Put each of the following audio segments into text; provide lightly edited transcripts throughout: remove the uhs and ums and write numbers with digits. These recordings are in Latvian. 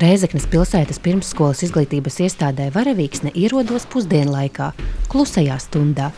Rēzeknes pilsētas pirmsskolas izglītības iestādē Varavīksne ierodos pusdienlaikā, klusajā stundā.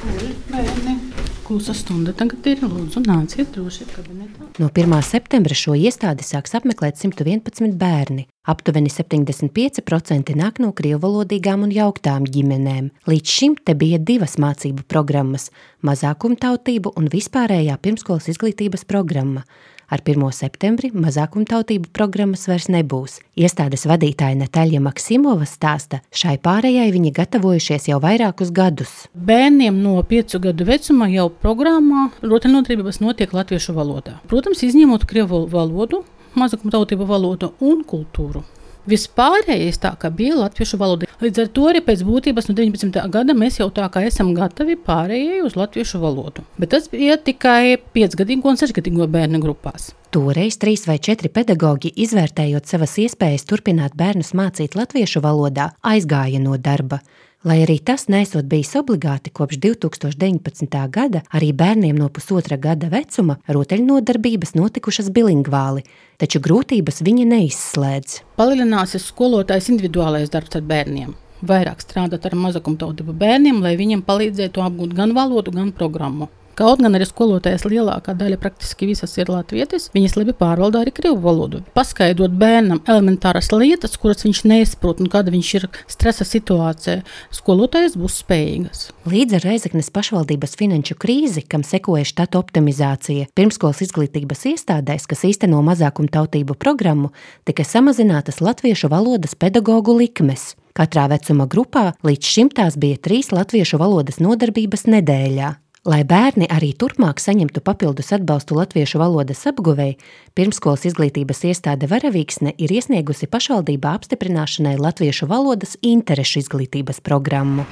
Klusa stunda tagad ir, lūdzu, nāciet droši kabinetā. No 1. septembra šo iestādi sāks apmeklēt 111 bērni. Aptuveni 75% nāk no krievvalodīgām un jauktām ģimenēm. Līdz šim te bija 2 mācību programmas – mazākumtautību un vispārējā pirmskolas izglītības programma. Ar 1. septembri mazākumtautību programmas vairs nebūs. Iestādes vadītāja Nataļa Maksimova stāsta, šai pārējai viņi gatavojušies jau vairākus gadus. Bērniem no 5 gadu vecuma jau programmā rotaļnodarbības notiek latviešu valodā. Protams, izņemot krievu valodu, mazākumtautību valodu un kultūru. Vispārējais tā, ka bija latviešu valoda. Līdz ar to arī pēc būtības no 19. gada mēs jau tā kā esam gatavi pārējai uz latviešu valodu. Bet tas bija tikai 5-gadīgo un 6-gadīgo bērnu grupās. Toreiz 3 vai 4 pedagoģi, izvērtējot savas iespējas turpināt bērnus mācīt latviešu valodā, aizgāja no darba. Lai arī tas nesot bijis obligāti, kopš 2019. gada arī bērniem no 1,5 gada vecuma rotaļnodarbības notikušas bilingvāli, taču grūtības viņa neizslēdz. Palielināsies skolotājs individuālais darbs ar bērniem. Vairāk strādāt ar mazākumtautību bērniem, lai viņiem palīdzētu apgūt gan valodu, gan programmu. Kaut gan arī skolotājas lielākā daļa praktiski visas ir latvietis, viņas labi pārvalda arī krievu valodu. Paskaidrot bērnam elementāras lietas, kuras viņš nesaprot un kāda viņš ir stresa situācijā, skolotājas būs spējīgas. Līdz ar Rēzeknes pašvaldības finanšu krīzi, kam sekoja štatu optimizācija, pirmskolas izglītības iestādēs, kas īsteno mazākumtautību programmu, tika samazinātas latviešu valodas pedagogu likmes. Katrā vecuma grupā līdz šim tās bija 3 latviešu valodas nodarbības nedēļā. Lai bērni arī turpmāk saņemtu papildus atbalstu latviešu valodas apguvēji, pirmskolas izglītības iestāde Varavīksne ir iesniegusi pašvaldībā apstiprināšanai latviešu valodas interešu izglītības programmu.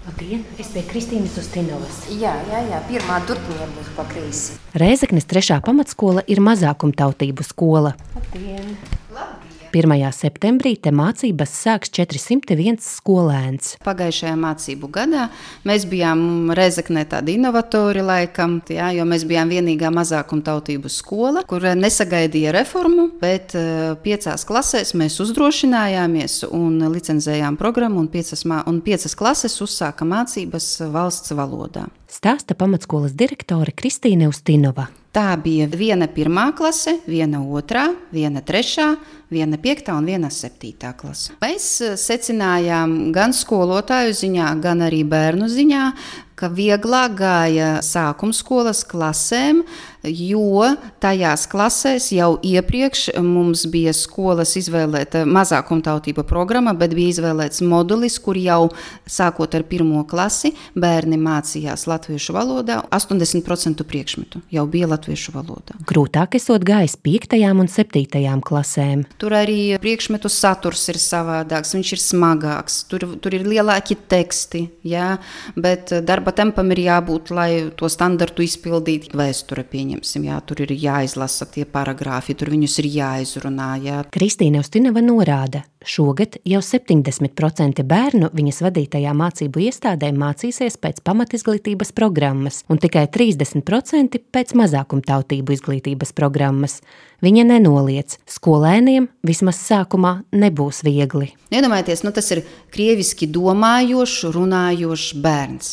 Labdien, es pie Kristīnas Ustinovas. Jā, pirmā durtiņa būs pa kreisi. Rēzeknes 3. pamatskola ir mazākumtautību skola. Labdien! 1. septembrī te mācības sāks 401 skolēns. Pagājušajā mācību gadā mēs bijām Rēzeknē tādi inovatori laikam, jo mēs bijām vienīgā mazākumtautību skola, kur nesagaidīja reformu, bet 5 klasēs mēs uzdrošinājāmies un licenzējām programmu un 5 klases uzsāka mācības valsts valodā. Stāsta pamatskolas direktore Kristīne Ustinova. Tā bija 1. 1. klase, 1. 2., 1. 3., 1. 5. un 1. 7. klase. Mēs secinājām gan skolotāju ziņā, gan arī bērnu ziņā, ka vieglāk gāja sākumskolas klasēm, jo tajās klasēs jau iepriekš mums bija skolas izvēlēta mazākumtautība programma, bet bija izvēlēts modulis, kur jau sākot ar 1. klasi bērni mācījās latviešu valodā, 80% priekšmetu jau bija latviešu valodā. Grūtāk esot gājis 5. un 7. klasēm. Tur arī priekšmetu saturs ir savādāks, viņš ir smagāks, tur ir lielāki teksti, bet darba tempam ir jābūt, lai to standartu izpildītu. Vēsture pieņemsim, tur ir jāizlasa tie paragrāfi, tur viņus ir jāizrunā. Kristīne Ustinova norāda, šogad jau 70% bērnu viņas vadītajā mācību iestādē mācīsies pēc pamatizglītības programmas un tikai 30% pēc mazākumtautību izglītības programmas. Viņa nenoliedz, skolēniem vismaz sākumā nebūs viegli. Iedomājieties, tas ir krieviski domājošs, runājošs bērns,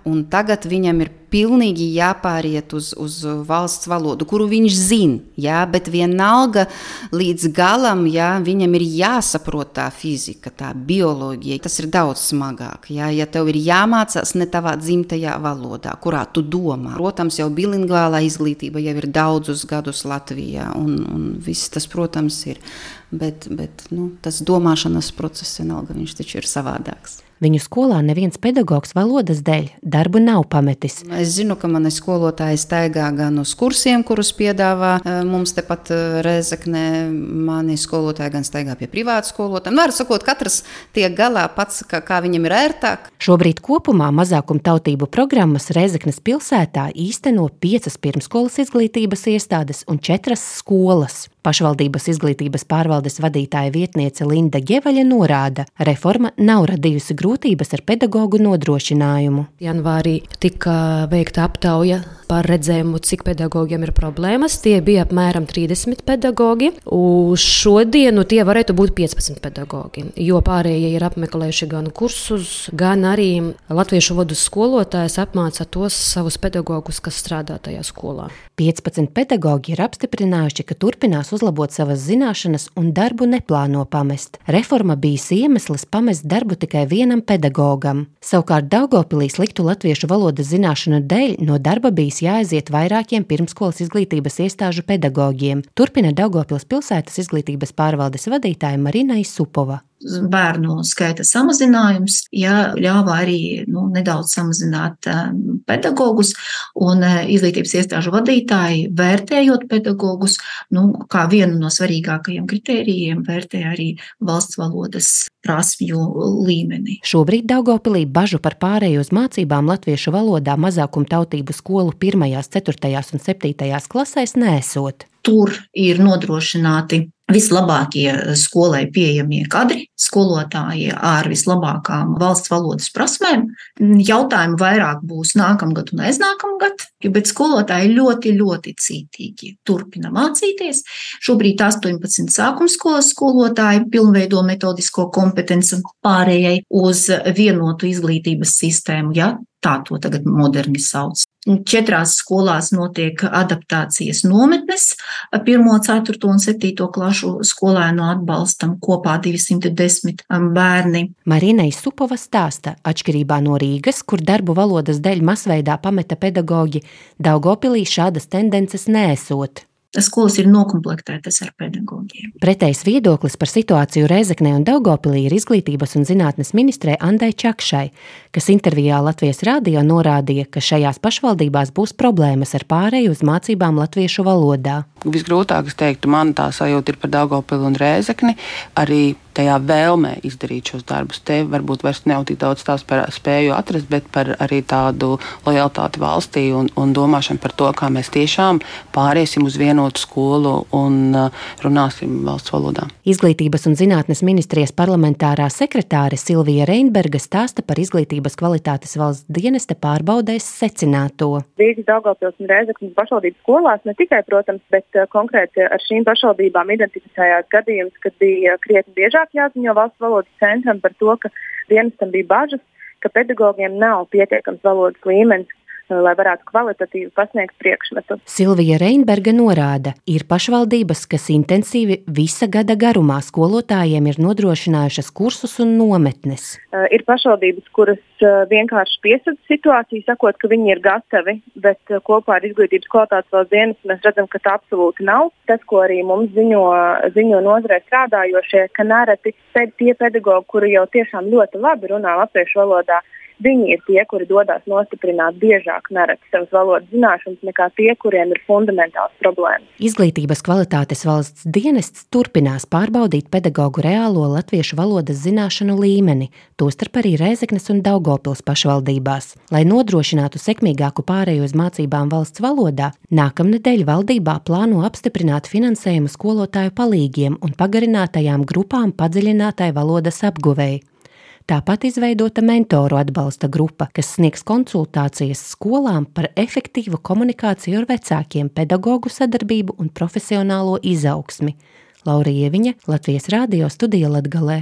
un tagad viņam ir pilnīgi jāpāriet uz valsts valodu, kuru viņš zina, bet vienalga līdz galam, viņam ir jāsaprot tā fizika, tā bioloģija. Tas ir daudz smagāk, ja tev ir jāmācās ne tavā dzimtajā valodā, kurā tu domā. Protams, jau bilingvālā izglītība jau ir daudzus gadus Latvijā, un viss tas, protams, ir. Bet tas domāšanas process vienalga, viņš taču ir savādāks. Viņu skolā neviens pedagogs valodas dēļ darbu nav pametis. Es zinu, ka mani skolotāji staigā gan uz kursiem, kurus piedāvā mums tepat Rēzeknē. Mani skolotāji gan staigā pie privātu skolotājiem. Var sakot, katrs tiek galā pats, kā viņam ir ērtāk. Šobrīd kopumā mazākumtautību programmas Rēzeknes pilsētā īsteno 5 pirmskolas izglītības iestādes un 4 skolas. Pašvaldības izglītības pārvaldes vadītāja vietniece Linda Ģevaļa norāda, reforma nav radījusi grūtības ar pedagogu nodrošinājumu. Janvārī tika veikta aptauja par redzējumu, cik pedagogiem ir problēmas. Tie bija apmēram 30 pedagogi. Uz šodienu tie varētu būt 15 pedagogi, jo pārējie ir apmeklējuši gan kursus, gan arī latviešu valodas skolotājs apmāca tos savus pedagogus, kas strādā tajā skolā. 15 pedagogi ir apstiprinājuši, ka turpinās uzlabot savas zināšanas un darbu neplāno pamest. Reforma bijis iemesls pamest darbu tikai vienam pedagogam. Savukārt Daugavpilī sliktu latviešu valodas zināšanu dēļ no darba bijis jāaiziet vairākiem pirmskolas izglītības iestāžu pedagogiem. Turpina Daugavpils pilsētas izglītības pārvaldes vadītāja Marina Isupova. Bērnu skaita samazinājums, ļāva arī nedaudz samazināt pedagogus, un izglītības iestāžu vadītāji, vērtējot pedagogus, kā vienu no svarīgākajiem kritērijiem, vērtē arī valsts valodas prasmju līmeni. Šobrīd Daugavpilī bažu par pārēju uz mācībām latviešu valodā mazākumtautību skolu 1., 4. un 7. klasēs neesot. Tur ir nodrošināti vislabākie skolai pieejamie kadri, skolotāji ar vislabākām valsts valodas prasmēm. Jautājumi vairāk būs nākamgad un aiznākamgad, bet skolotāji ļoti, ļoti cītīgi turpina mācīties. Šobrīd 18 sākumskolas skolotāji pilnveido metodisko kompetenci pārējai uz vienotu izglītības sistēmu, tā to tagad moderni sauc. 4 skolās notiek adaptācijas nometnes 1., 4. un 7. klašu skolēnu atbalstam, kopā 210 bērni. Marina Isupova stāsta, atšķirībā no Rīgas, kur darbu valodas dēļ masveidā pameta pedagoģi, Daugavpilī šādas tendences neesot. Skolas ir nokomplektētas ar pedagogiem. Pretējs viedoklis par situāciju Rēzeknē un Daugavpilī ir izglītības un zinātnes ministrei Andai Čakšai, kas intervijā Latvijas radio norādīja, ka šajās pašvaldībās būs problēmas ar pārēju uz mācībām latviešu valodā. Visgrūtāk, es teiktu, man tā sajūta ir par Daugavpili un Rēzekni, arī tajā vēlmē izdarīt šos darbus. Te varbūt vairs nav tik daudz tās par spēju atrast, bet par arī tādu lojalitāti valstī un domāšanu par to, kā mēs tiešām pāriesim uz vienotu skolu un runāsim valsts valodā. Izglītības un zinātnes ministrijas parlamentārā sekretāre Silvija Reinberga stāsta par izglītības kvalitātes valsts dienesta pārbaudēs secināto. Rīgas, Daugavpils un Rēzeknes pašvaldības skolās ne tikai, protams, bet konkrēti ar šīm pašvaldībām identificējās gadījums, kad bija krietni biežāk jāziņo valsts valodas centram par to, ka dienestam bija bažas, ka pedagogiem nav pietiekams valodas līmenis, lai varētu kvalitatīvi pasniegt priekšmetu. Silvija Reinberga norāda, ir pašvaldības, kas intensīvi visa gada garumā skolotājiem ir nodrošinājušas kursus un nometnes. Ir pašvaldības, kuras vienkārši piesadz situāciju, sakot, ka viņi ir gatavi, bet kopā ar izglītības kvalitātes valsts dienestu mēs redzam, ka tā absolūti nav. Tas, ko arī mums ziņo nozarē strādājošie, ka nereti tie pedagogi, kuri jau tiešām ļoti labi runā latviešu valodā, viņi ir tie, kuri dodas nostiprināt biežāk nereti savas valodas zināšanas nekā tie, kuriem ir fundamentāls problēmas. Izglītības kvalitātes valsts dienests turpinās pārbaudīt pedagogu reālo latviešu valodas zināšanu līmeni, tostarp arī Rēzeknes un Daugavpils pašvaldībās. Lai nodrošinātu sekmīgāku pārēju uz mācībām valsts valodā, nākamnedēļ valdībā plāno apstiprināt finansējumu skolotāju palīgiem un pagarinātajām grupām padziļinātai valodas apguvēji. Tāpat izveidota mentoru atbalsta grupa, kas sniegs konsultācijas skolām par efektīvu komunikāciju ar vecākiem, pedagogu sadarbību un profesionālo izaugsmi. Laura Ieviņa, Latvijas radio studija Latgalē.